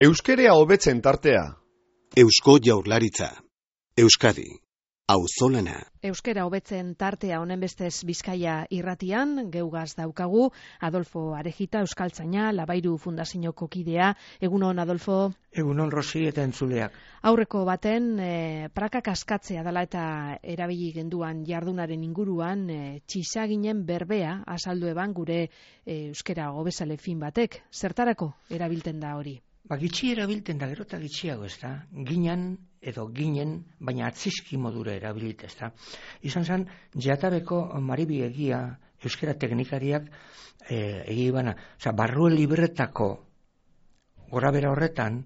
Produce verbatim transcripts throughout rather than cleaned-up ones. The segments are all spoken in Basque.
Euskerea hobetzen tartea. Eusko Jaurlaritza. Euskadi. Auzolana. Euskera hobetzen tartea honen bestez Bizkaia irratian, geugaz daukagu, Adolfo Arejita, euskaltzaina, Labairu Fundazioko kidea. Egunon, Adolfo. Egunon, Rosi eta entzuleak. Aurreko baten, e, prakak askatzea dela eta erabili genduan jardunaren inguruan, e, txisaginen berbea azaldu eban gure e, euskera hobezale fin batek. Zertarako erabilten da hori? Ba, gitxi erabilten da, gero eta gitxiago, ez da? Ginan edo ginen, baina atzizki modura erabilit, ez da? Izan zen, jatabeko Maribi egia, euskera teknikariak e, egi bana, oza, barrue libretako gora bera horretan,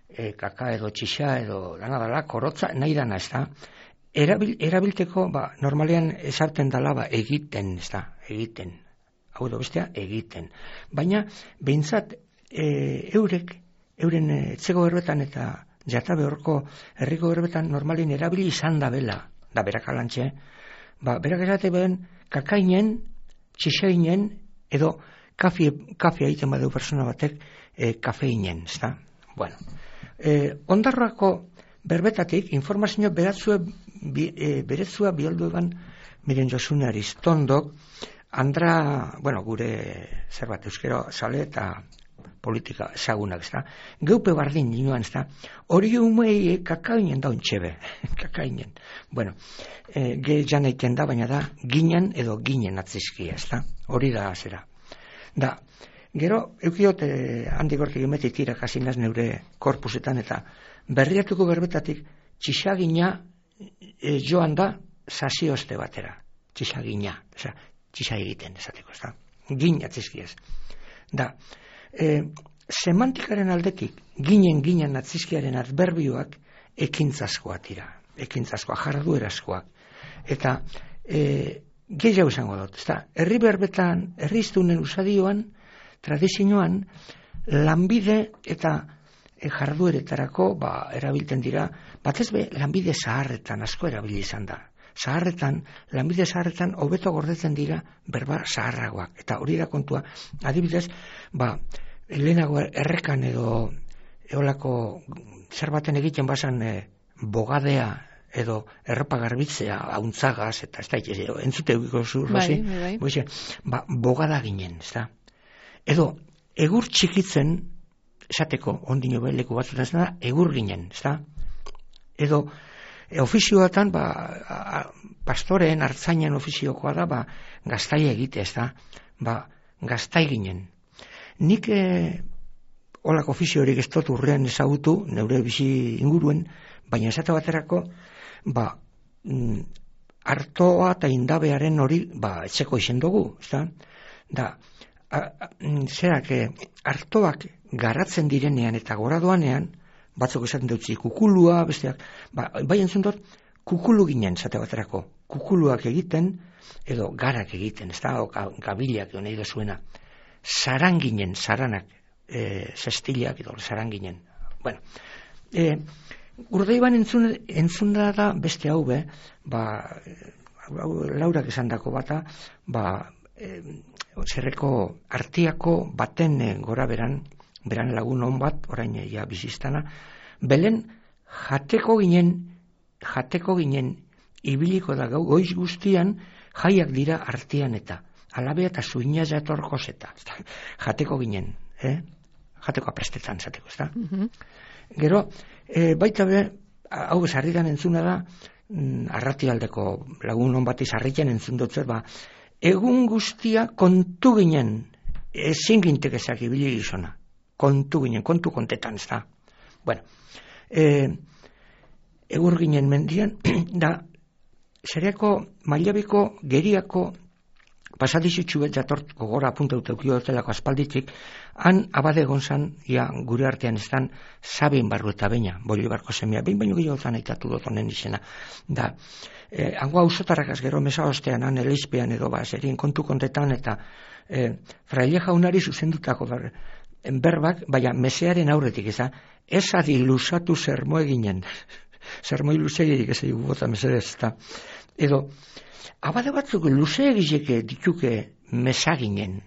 e, kaka edo txixa edo dana dala, korotza, nahi dana, ez da? Erabil, erabilteko, ba, normalean esarten dala, ba, egiten, ez da? Egiten. Hau edo bestea, egiten. Baina, behintzat, e, eurek, euren etxego berbetan eta jatabe horko herriko berbetan normalin erabili izan da bela, da berak alantxe, ba, berak esate behen kakainen, txixainen, edo kafe, kafe egiten badeu persona batek e, kafeinen, ez da? Bueno, e, ondarroako berbetatik informazio beratzua, bi, e, beretzua bialdu eban miren Josune Aristondok, andra, bueno, gure zerbat euskero sale eta politika ezagunak, ez da. Geupe bardin nioan, ez da. Hori umei kakainen daun txebe. Kakainen. Bueno, e, ge jan eiten da, baina da, ginen edo ginen atzizkia, ez da. Hori da zera. Da, gero, eukiot, e, handik hortik emetit irakasinaz neure korpusetan, eta berriatuko berbetatik, txisagina e, joan da, sasiozte batera. Txisagina, oza, txisa egiten, esateko, ez da. Gin atzizkiaz. Da, E, semantikaren aldetik, ginen ginen atzizkiaren adberbioak ekintzazkoak dira, ekintzazkoak, jarduerazkoak. Eta e, gehiago izango dut, ezta? Herri berbetan, herri iztunen usadioan, tradizioan, lanbide eta e, jardueretarako ba, erabilten dira, batez be, lanbide zaharretan asko erabili izan da. Zaharretan, lanbide zaharretan, hobeto gordetzen dira berba zaharragoak. Eta hori da kontua, adibidez, ba, lehenago errekan edo eolako zer baten egiten bazan e, bogadea edo erropa garbitzea, hauntzagaz, eta ez da, entzute egiko zu, Rosi? Bai, bai, bai. Ba, bogada ginen, ez da? Edo, egur txikitzen, esateko, ondino leku batzutan ez da, egur ginen, ez da? Edo, E, ofizioatan, ba, a, pastoreen, artzainen ofiziokoa da, ba, gaztai egite, ez da, ba, gaztai ginen. Nik e, olak ofizio horik ez dut urrean ezagutu, neure bizi inguruen, baina esate baterako, ba, mm, artoa eta indabearen hori, ba, etxeko izen dugu, ez da, da, a, a, zerak, e, artoak garatzen direnean eta gora doanean, batzuk esaten dutzi kukulua, besteak, ba, bai entzun dut, kukulu ginen, zate baterako, kukuluak egiten, edo garak egiten, ez da, o gabilak, edo nahi da zuena, zaran ginen, zaranak, e, zestiliak, edo zaran ginen. Bueno, e, urde iban entzun, entzun da da beste hau be, ba, laurak esan dako bata, ba, e, zerreko artiako baten e, gora beran, beran lagun hon bat, orain ja biziztana, belen jateko ginen, jateko ginen, ibiliko da gau, goiz guztian, jaiak dira artean eta, alabea eta zuina jatorkoz eta, jateko ginen, eh? Jateko aprestetan, zateko, ez da? Mm-hmm. Gero, e, baita be, hau bezarritan entzuna da, mm, arratialdeko lagun hon bat izarritan entzun dutzer, ba, egun guztia kontu ginen, ezin gintek ezak ibili gizona. Kontu ginen, kontu kontetan, ez da. Bueno, e, egur ginen mendian, da, zereko mailabiko geriako pasadizitxu bet jatort gogora apunta uteukio dutelako aspalditik, han abade gonzan, ja, gure artean ez dan, Sabin barru eta baina, Bolibarko semia, behin baino gehiago zan aitatu dut honen izena. Da, e, hango hausotarrakaz gero mesa ostean, han eleizpean edo, ba, zerien kontu kontetan, eta e, fraile jaunari zuzendutako bar, berbak, baina mesearen aurretik, ez da, ez adi lusatu zermo eginen, zermoi luzegirik ez egu bota mesedez, eta, edo, abade batzuk luze egizeke dituke mesaginen,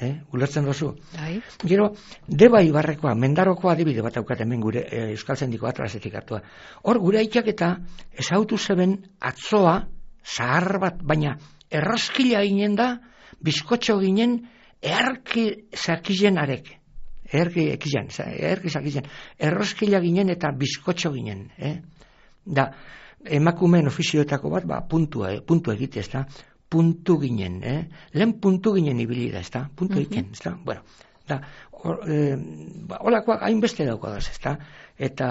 eh? Ulertzen dozu. Bai. Gero, Deba Ibarrekoa, Mendarokoa adibide bat daukat hemen gure e, Euskaltzendiko atlasetik hartua. Hor, gure aitak eta ezautu zeben atzoa, zahar bat, baina erroskila ginen da, bizkotxo ginen, earki zakizen arek. Earki ekizen, earki zakizen. Erroskila ginen eta bizkotxo ginen. Eh? Da, emakumeen ofizioetako bat, ba, puntua, eh? puntu egite, ez da? Puntu ginen, eh? Lehen puntu ginen ibili da, ez da? Puntu mm-hmm. egiten, ez da? Bueno, da, or, eh, ba, olakoak hainbeste daukodaz, ez da? Eta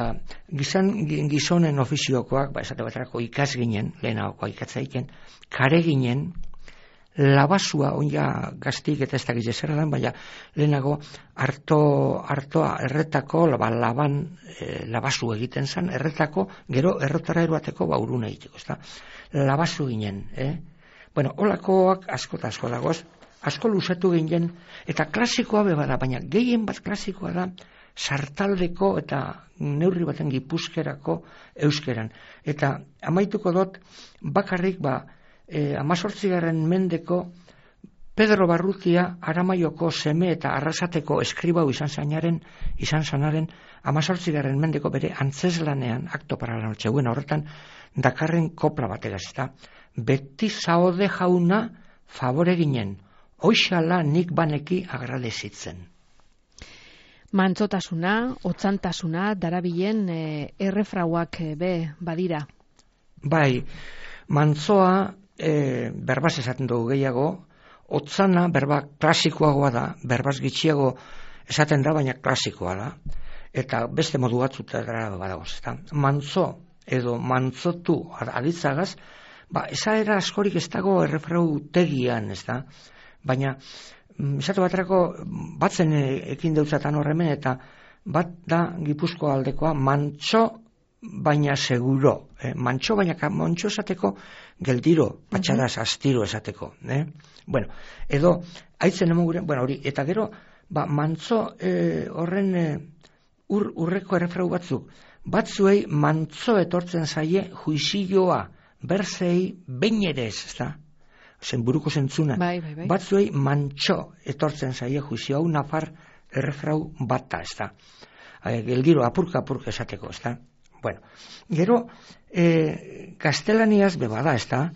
gizan, gizonen ofiziokoak, ba, esate baterako ikas ginen, lehenagokoa ikatza egiten, kare ginen, labasua, oina gaztik eta ez da gizera dan, baina lehenago harto, hartoa erretako, ba, laban e, labasu egiten zen, erretako, gero errotara eruateko ba, uruna egiteko, ez da? Labasu ginen, eh? Bueno, holakoak asko eta asko dagoz, asko luzatu ginen, eta klasikoa bebada, baina gehien bat klasikoa da, sartaldeko eta neurri baten gipuzkerako euskeran. Eta amaituko dut, bakarrik, ba, e, amazortzigarren mendeko Pedro Barrutia Aramaioko seme eta arrasateko eskribau izan zainaren, izan zanaren, amazortzigarren mendeko bere antzeslanean, akto para la noche buena horretan, dakarren kopla bategaz, eta beti zaude jauna favore ginen, hoixala nik baneki agradezitzen. Mantzotasuna, otzantasuna, darabilen e, errefrauak e, be badira. Bai, mantzoa e, berbaz esaten dugu gehiago, otzana berba klasikoagoa da, berbaz gitxiago esaten da, baina klasikoa da, eta beste modu batzutara badagoz, eta mantzo edo mantzotu aditzagaz, ba, esaera askorik ez dago errefrau tegian, ez da, baina esatu baterako batzen ekin deutzatan horremen, eta bat da Gipuzkoa aldekoa mantxo baina seguro, eh? Mantxo baina mantxo esateko geldiro, patxadas, uh-huh. astiro esateko, eh? Bueno, edo haitzen emuguren, bueno, hori, eta gero ba, mantzo eh, horren eh, ur, urreko errefrau batzuk, batzuei mantzo etortzen zaie juizioa, berzei behin ere ez, ez da? Zen buruko zentzuna. Bai, bai, bai. Batzuei mantxo etortzen zaie juizio, hau nafar errefrau bata, ez da? Geldiro, apurka apurka esateko, ez da? Bueno, gero, eh, gaztelaniaz bebada, ez da?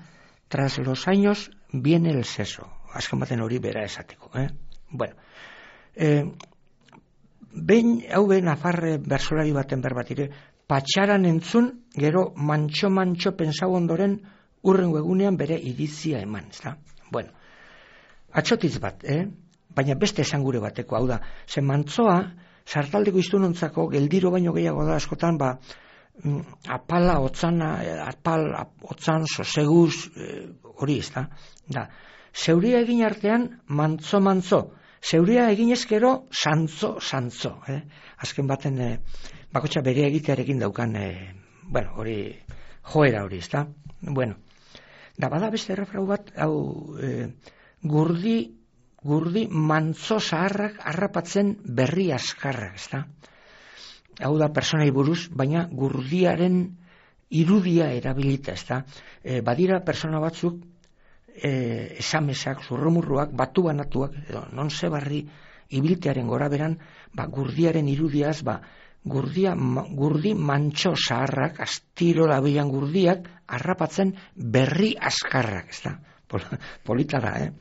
Tras los años viene el seso. Azken baten hori bera esateko, eh? Bueno, eh, behin, hau behin nafarre bersolari baten berbatire, patxaran entzun, gero mantxo-mantxo pensau ondoren urrengo egunean bere iritzia eman, ez da? Bueno, atxotiz bat, eh? Baina beste esangure bateko, hau da, ze mantzoa, sartaldeko iztunontzako, geldiro baino gehiago da askotan, ba, apala, otzana, apal, otzan, soseguz, hori ez da? Da, zeuria egin artean, mantzo-mantzo, zeuria egin ezkero, santzo-santzo, eh? Azken baten, eh, bakotxa bere egitearekin daukan, eh, bueno, hori, joera hori, ez da? Bueno, da bada beste errefrau bat, hau, eh, gurdi, gurdi mantzo zaharrak harrapatzen berri askarrak, ez da? Hau da personai buruz, baina gurdiaren irudia erabilita, ez da? E, badira persona batzuk, e, esamesak, zurrumurruak, batu banatuak, edo non zebarri ibiltearen gora beran, ba, gurdiaren irudiaz, ba, gurdia, ma, gurdi mantxo zaharrak, astiro labilan gurdiak, harrapatzen berri askarrak, ez da? Pol, polita da, eh?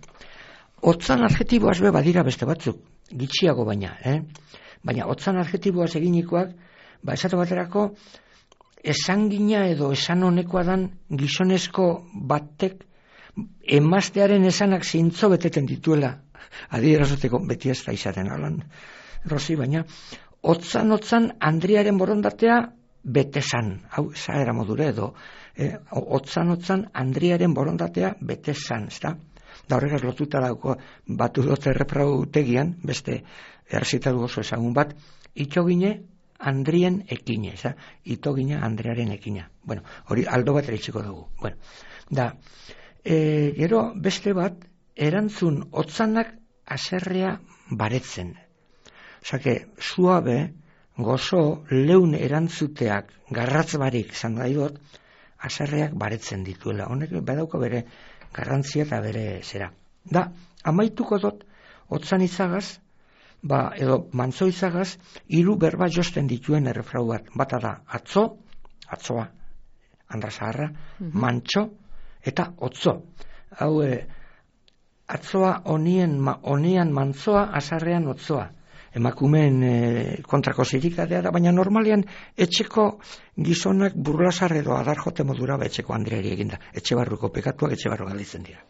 Otzan adjetiboaz be badira beste batzuk, gitxiago baina, eh? Baina otzan adjetiboaz eginikoak, ba, esate baterako, esangina edo esan honekoa dan gizonezko batek emaztearen esanak zintzo beteten dituela, adierazoteko beti ez da izaten, alan, Rosi, baina, otzan-otzan Andriaren borondatea betezan, hau, zaera modure edo, eh, otzan-otzan Andriaren borondatea betezan, ez da? Da horregaz lotuta dauko batu dut erreprau tegian, beste errezitatu oso ezagun bat, itxogine Andrien ekine, ez da? Itogine Andrearen ekina. Bueno, hori aldo bat eritxiko dugu. Bueno, da, e, gero beste bat, erantzun otzanak aserrea baretzen. Osake, suabe, gozo, leun erantzuteak, garratz barik, zan da idot, aserreak baretzen dituela. Honek badauko bere garrantzia eta bere zera. Da, amaituko dut, otzan izagaz, ba, edo mantzo izagaz, hiru berba josten dituen errefrau bat. Bata da, atzo, atzoa, Andra Zaharra, mm-hmm. mantxo, eta otzo. Hau, e, atzoa onien, ma, onian mantzoa, azarrean otzoa. Emakumeen e, kontrako zirikadea da, baina normalean etxeko gizonak burlasar edo adar jote modura ba etxeko andreari eginda. Etxe barruko pekatuak etxe barru galditzen dira.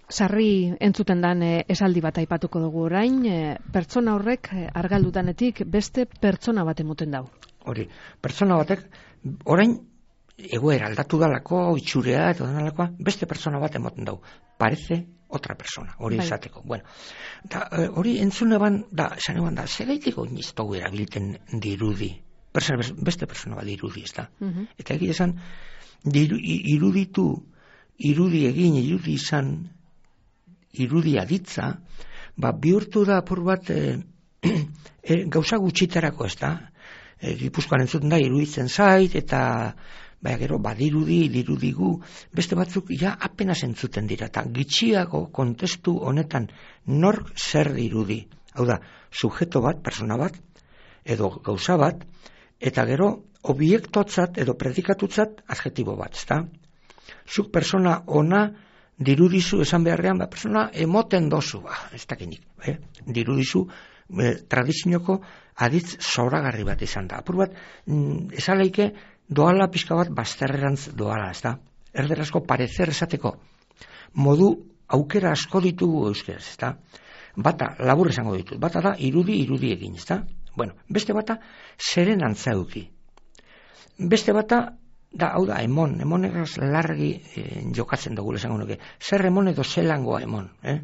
Sarri entzuten dan e, esaldi bat aipatuko dugu orain, e, pertsona horrek e, argaldudanetik beste pertsona bat emoten dau. Hori, pertsona batek orain egoera aldatu dalako, itxurea eta dalakoa, beste pertsona bat emoten dau. Parece otra persona, hori bai. Izateko. Bueno, da, hori entzune ban, da, esan eban da, segaitik oiniz tau erabilten dirudi. Persona, beste persona bat dirudi, ez da. Uh-huh. Eta egia esan, diru, iruditu, irudi egin, irudi izan, irudia ditza, ba, bihurtu da apur bat e, e, gauza gutxitarako, ez da. E, Gipuzkoan entzuten da, iruditzen zait, eta baina gero, badirudi, dirudigu, beste batzuk ja apenas entzuten dira, eta gitxiago kontestu honetan nork zer dirudi. Hau da, sujeto bat, persona bat, edo gauza bat, eta gero, obiektotzat edo predikatutzat adjetibo bat, ezta? Zuk persona ona dirudizu esan beharrean, ba, persona emoten dozu, ba, ez dakinik, eh? Dirudizu, eh, tradizioko aditz zoragarri bat izan da. Apur bat, mm, esaleike, doala pixka bat bazterrerantz doala, ez da? Erderazko parecer esateko modu aukera asko ditugu euskeraz, ez da? Bata, labur esango ditut, bata da irudi irudi egin, ez da? Bueno, beste bata zeren antzauki. Beste bata da, hau da, emon, emonegaz largi eh, jokatzen dugu esango nuke. Zer emon edo zelangoa emon, eh?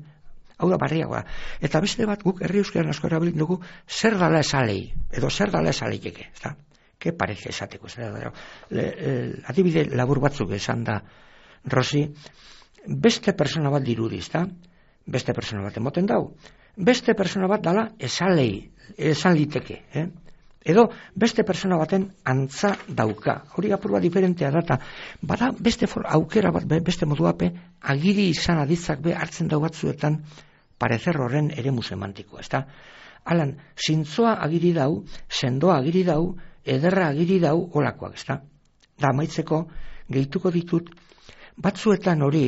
Hau da barriagoa. Eta beste bat guk herri euskeran asko erabilin dugu zer dala esalei, edo zer dala esaleikeke, ez da? Que parece esateko, ez da, le, le, adibide labur batzuk esan da, Rosi, beste persona bat dirudi, ez da? Beste persona bat emoten dau. Beste persona bat dala esalei, esan liteke, eh? Edo beste persona baten antza dauka. Hori apurua diferentea data. Bada beste for, aukera bat, beste moduape, agiri izan aditzak be hartzen dau batzuetan parecer horren eremu semantikoa, ez da? Alan, zintzoa agiri dau, sendoa agiri dau, ederra agiri dau olakoak, ez da? Da, amaitzeko, gehituko ditut, batzuetan hori,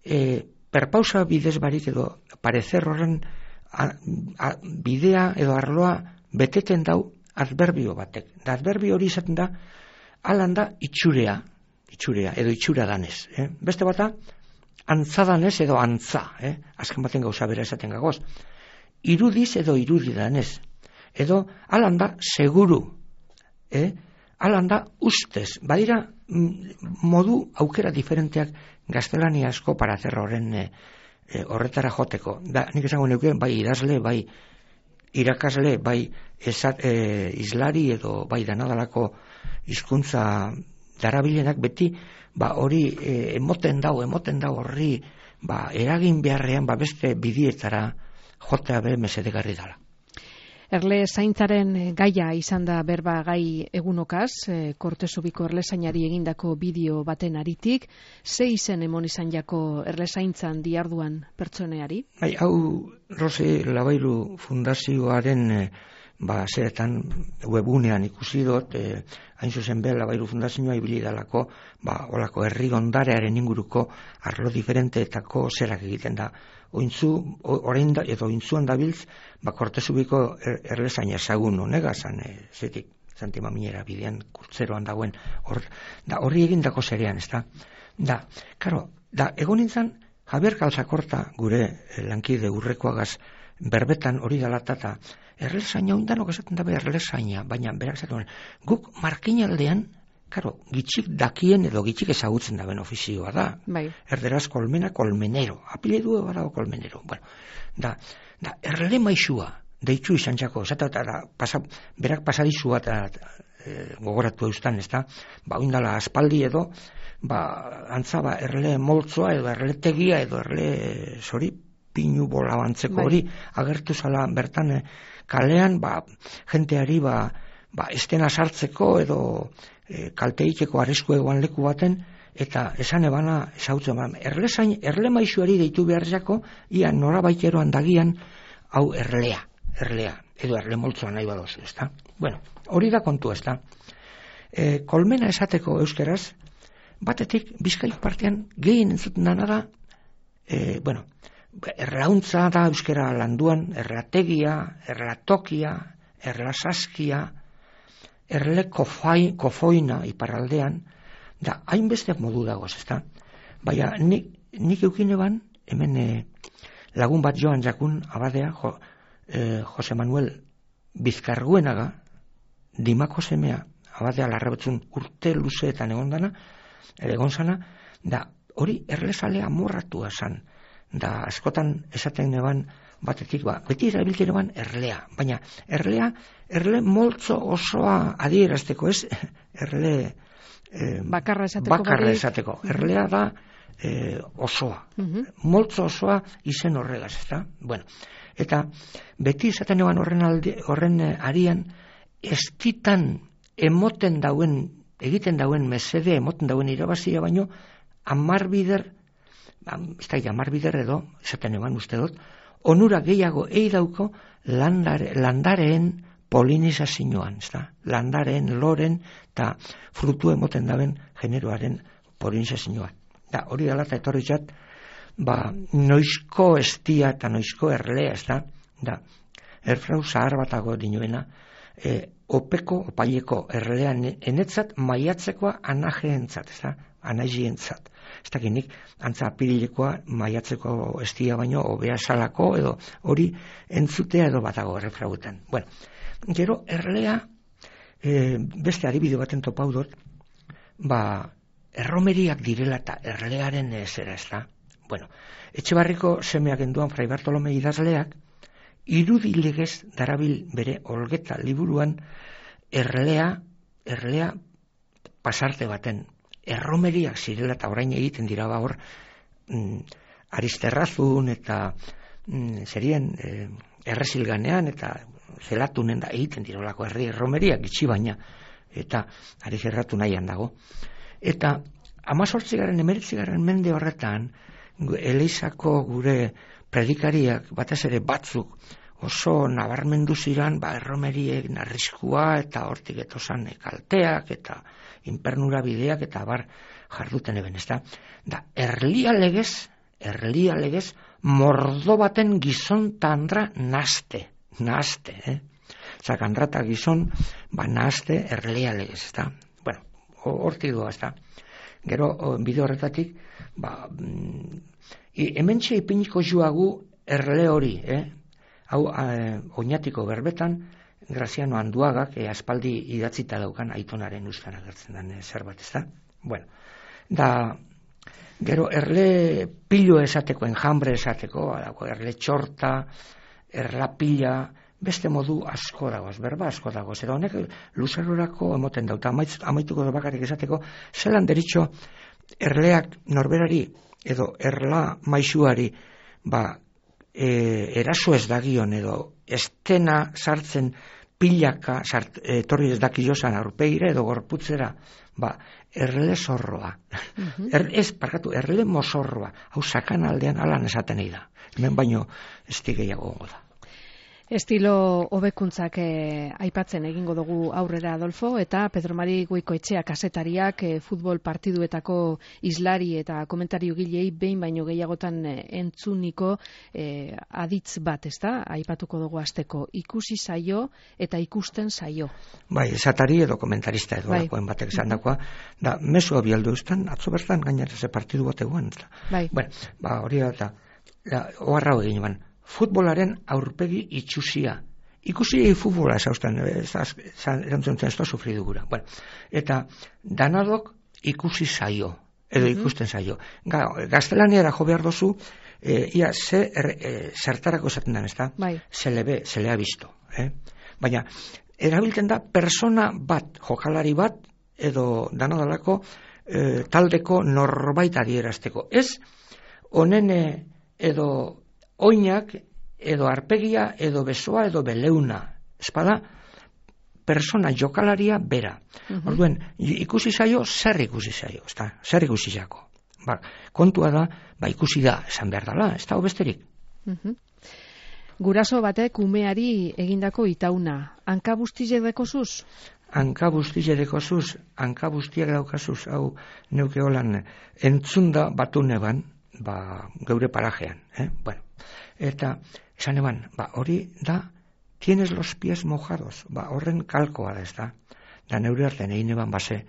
e, perpausa bidez barik edo parecer horren a, a, bidea edo arloa beteten dau adverbio batek. Da, adverbio hori izaten da, alan da itxurea, itxurea edo itxura danez. Eh? Beste bata, antza danez edo antza, eh? Azken baten gauza bera esaten gagoz. Irudiz edo irudi danez. Edo, alan da seguru, eh? Alan da ustez. Badira, modu aukera diferenteak gaztelaniazko parecer horren eh, eh, horretara joteko. Da, nik esango neuke, bai idazle, bai irakasle, bai esat, e, islari edo bai danadalako hizkuntza darabilenak beti, ba hori e, emoten dau, emoten dau horri, ba eragin beharrean, ba beste bidietara jotea be mesedegarri dala. Erle zaintzaren gaia izan da berba gai egunokaz, e, Kortesubiko erlezainari egindako bideo baten aritik, ze izen emon izan jako erle zaintzan diarduan pertsoneari? Bai, hau, Rosi Labairu Fundazioaren e, ba, zeretan webunean ikusi dut, e, hain zuzen be, Labairu Fundazioa ibili dalako, ba, olako herri ondarearen inguruko arlo diferenteetako zerak egiten da. Ointzu, orain da, edo ointzuan dabiltz, ba, Kortesubiko er, erlezaina ezagun honega zan, e, zetik, Santima Minera bidean kurtzeroan dagoen, hor, da, horri egindako zerean, ez da? Da, karo, da, egon nintzen, Javier Kalzakorta, gure eh, lankide urrekoagaz, berbetan hori dalatata, erlezaina, oindanok esaten dabe erlezaina, baina, berak esaten, guk markinaldean, karo, gitxik dakien edo gitxik ezagutzen daben ofizioa da. Bai. Erderaz kolmena kolmenero. Apiledu badago kolmenero. Bueno, da, da erle maixua, deitzu izan txako, esata, da, pasa, berak pasadizua eta e, gogoratu eustan, ez da, ba, oindala aspaldi edo, ba, antzaba erle moltzoa edo erle tegia edo erle zori, pinu bola bantzeko hori, agertu zala bertan e, kalean, ba, jenteari, ba, ba, estena sartzeko edo e, kalteikeko arrisku egoan leku baten eta esan ebana esautzen ban, erlezain, erle maixuari deitu behar jako, ia norabaiteroan dagian, hau erlea, erlea, edo erle moltzoa nahi badozu, ezta? Bueno, hori da kontu, ezta? E, kolmena esateko euskeraz, batetik, Bizkaiko partean, gehien entzuten dana da, e, bueno, erlauntza da euskera landuan, errategia, erratokia, erlasaskia, erle kofai, kofoina iparraldean, da, hainbeste modu dagoz, ezta? Baina, nik, nik eukine ban, hemen e, lagun bat joan jakun abadea, jo, e, Jose Manuel Bizkarguenaga, Dimako semea, abadea larrabetzun urte luzeetan egon dana, egon zana, da, hori erlezalea amorratua zan, da, askotan esaten eban, batetik, ba, beti erabiltzen eban erlea, baina erlea, erle moltzo osoa adierazteko, ez, erle Eh, bakarra esateko, bakarra esateko. Erlea da eh, osoa. Uh-huh. Moltzo osoa izen horregaz, ezta? Bueno, eta beti izaten eban horren, alde, horren arian, estitan emoten dauen, egiten dauen mesede, emoten dauen irabazia baino, amar bider, ez da, amar bider edo, esaten eban uste dut, onura gehiago eidauko landare, landareen polinizazioan, ezta? Landaren, loren eta frutu emoten daben generoaren polinizazioan. Da, hori dela eta etorri txat, ba, noizko estia eta noizko erlea, ezta? Da, erfrau zahar batago dinoena, e, opeko, opaileko erlean enetzat maiatzekoa anajeentzat, ezta? Anajientzat. Ez dakinik, antza apirilekoa maiatzeko estia baino, obea salako, edo hori entzutea edo batago erfrauetan. Bueno, gero, erlea, e, beste adibide baten topau dut, ba, erromeriak direla eta erlearen zera, ez da? Bueno, Etxebarriko semeak enduan Fray Bartolome idazleak, irudilegez darabil bere olgeta liburuan erlea, erlea pasarte baten, erromeriak zirela eta orain egiten dira ba hor, mm, Aristerrazun eta mm, zerien e, errezilganean eta zelatunen da egiten dirolako herri erromeriak gitxi baina, eta ari zerratu nahian dago. Eta amazortzigaren, emeritzigarren mende horretan, Elizako gure predikariak, batez ere batzuk, oso nabarmendu ziran, ba, erromeriek narrizkua, eta hortik etozan kalteak, eta inpernura bideak, eta bar jarduten eben, ez da? Da, erlia legez, erlia legez, mordo baten gizon tandra naste. Nahazte, eh? Zakandra eta gizon, ba, nahazte erlea legez, ez da? Bueno, hortik doa, ez da? Gero, bide horretatik, ba, mm, hemen txe ipiniko joagu erle hori, eh? Hau, eh, oinatiko berbetan, Graziano Anduagak, eh, aspaldi idatzita daukan aitonaren ustan agertzen den eh, zerbait, ez da? Bueno, da, gero, erle pilo esateko, enjambre esateko, erle txorta, erlapila, beste modu asko dagoz, berba asko dagoz, eta honek luzerrorako emoten dauta, amaituko da bakarrik esateko, zelan deritxo erleak norberari edo erla maixuari ba, e, eraso ez dagion edo estena sartzen pilaka sart, e, torri ez dakilozan aurpegira edo gorputzera, ba, erle zorroa. Uh-huh. Er, ez, parkatu, erle mozorroa, hau sakan aldean alan esaten ei da. Hemen baino ez gehiago gongo da. Estilo hobekuntzak eh, aipatzen egingo dugu aurrera, Adolfo, eta Pedro Mari Goikoetxea kazetariak eh, futbol partiduetako islari eta komentario gilei behin baino gehiagotan eh, entzuniko eh, aditz bat, ez da? Aipatuko dugu asteko ikusi zaio eta ikusten zaio. Bai, esatari edo komentarista edo bai. Lakoen batek esan dakoa, da mesua bialdu eustan, atzo bertan gainera ze partidu bat eguan. Bai. Bueno, ba, hori da, oharra egin ban. Futbolaren aurpegi itxusia. Ikusi futbola esauzten, erantzun ez da sufridu gura. Bueno, eta danadok ikusi zaio, edo ikusten zaio. Ga, gaztelaniara jo behar dozu, e, ia ze er, e, zertarako esaten den, ez da? Bai. Se le ve, se le ha visto. Eh? Baina, erabiltzen da persona bat, jokalari bat, edo danadalako e, taldeko norbait adierazteko. Ez, honene edo oinak, edo arpegia, edo besoa, edo beleuna. Espada, persona jokalaria bera. Uh-huh. Orduen, ikusi zaio, zer ikusi zaio, ezta? Zer ikusi zako. Ba, kontua da, ba, ikusi da, esan behar dela, ez da, besterik. Uh-huh. Guraso batek umeari egindako itauna, hanka bustizek dekozuz? Hanka bustizek dekozuz, hanka bustiak daukazuz, hau neuke holan entzunda batu neban, ba, geure parajean, eh? Bueno, eta esan eban, ba, hori da, tienes los pies mojados, ba, horren kalkoa da, ez da, da neure artean egin eban base,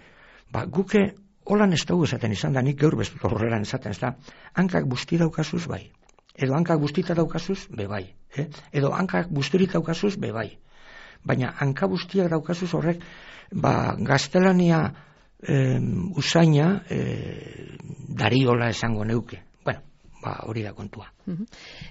ba, guke holan ez dugu esaten izan da, nik gaur bestut horreran esaten, ez da, hankak busti daukazuz bai, edo hankak bustita daukazuz, be bai, eh? Edo hankak busturik daukazuz, be bai, baina hanka bustiak daukazuz horrek, ba, gaztelania eh, usaina eh, dariola esango neuke. Bueno, ba, hori da kontua.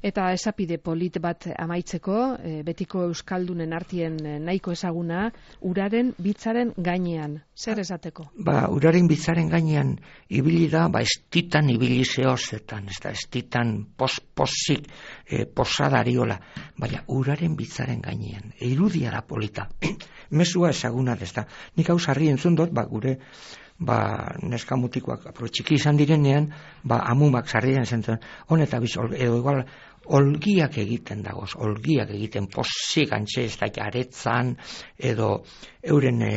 Eta esapide polit bat amaitzeko, e, betiko euskaldunen artien nahiko ezaguna, uraren bitzaren gainean. Zer esateko? Ba, uraren bitzaren gainean ibili da, ba, estitan ibili zehozetan, ez da, estitan pos-posik e, posadariola, baina uraren bitzaren gainean, irudia da polita. Mesua ezaguna, ez da. Nik hau sarri entzun dut, ba, gure ba, neska mutikoak apro txiki izan direnean, ba, amumak sarrien zentzen, honeta biz, edo igual, olgiak egiten dagoz, olgiak egiten posik antxe ez da aretzan, edo euren e,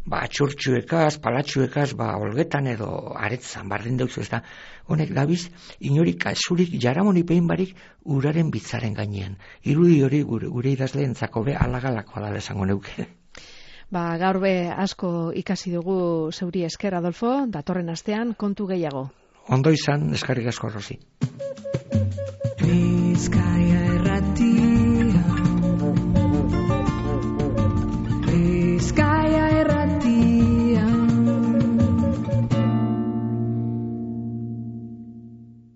ba, atxurtxuekaz, palatxuekaz, ba, olgetan edo aretzan, bardin dauz ez da, honek dabiz, inorik azurik jaramonipein barik uraren bitzaren gainean. Irudi hori gure, gure idazleentzako be alagalakoa da esango neuke. Ba, gaur be asko ikasi dugu zeuri esker, Adolfo, datorren astean kontu gehiago. Ondo izan, eskarrik asko, Rosi. Bizkai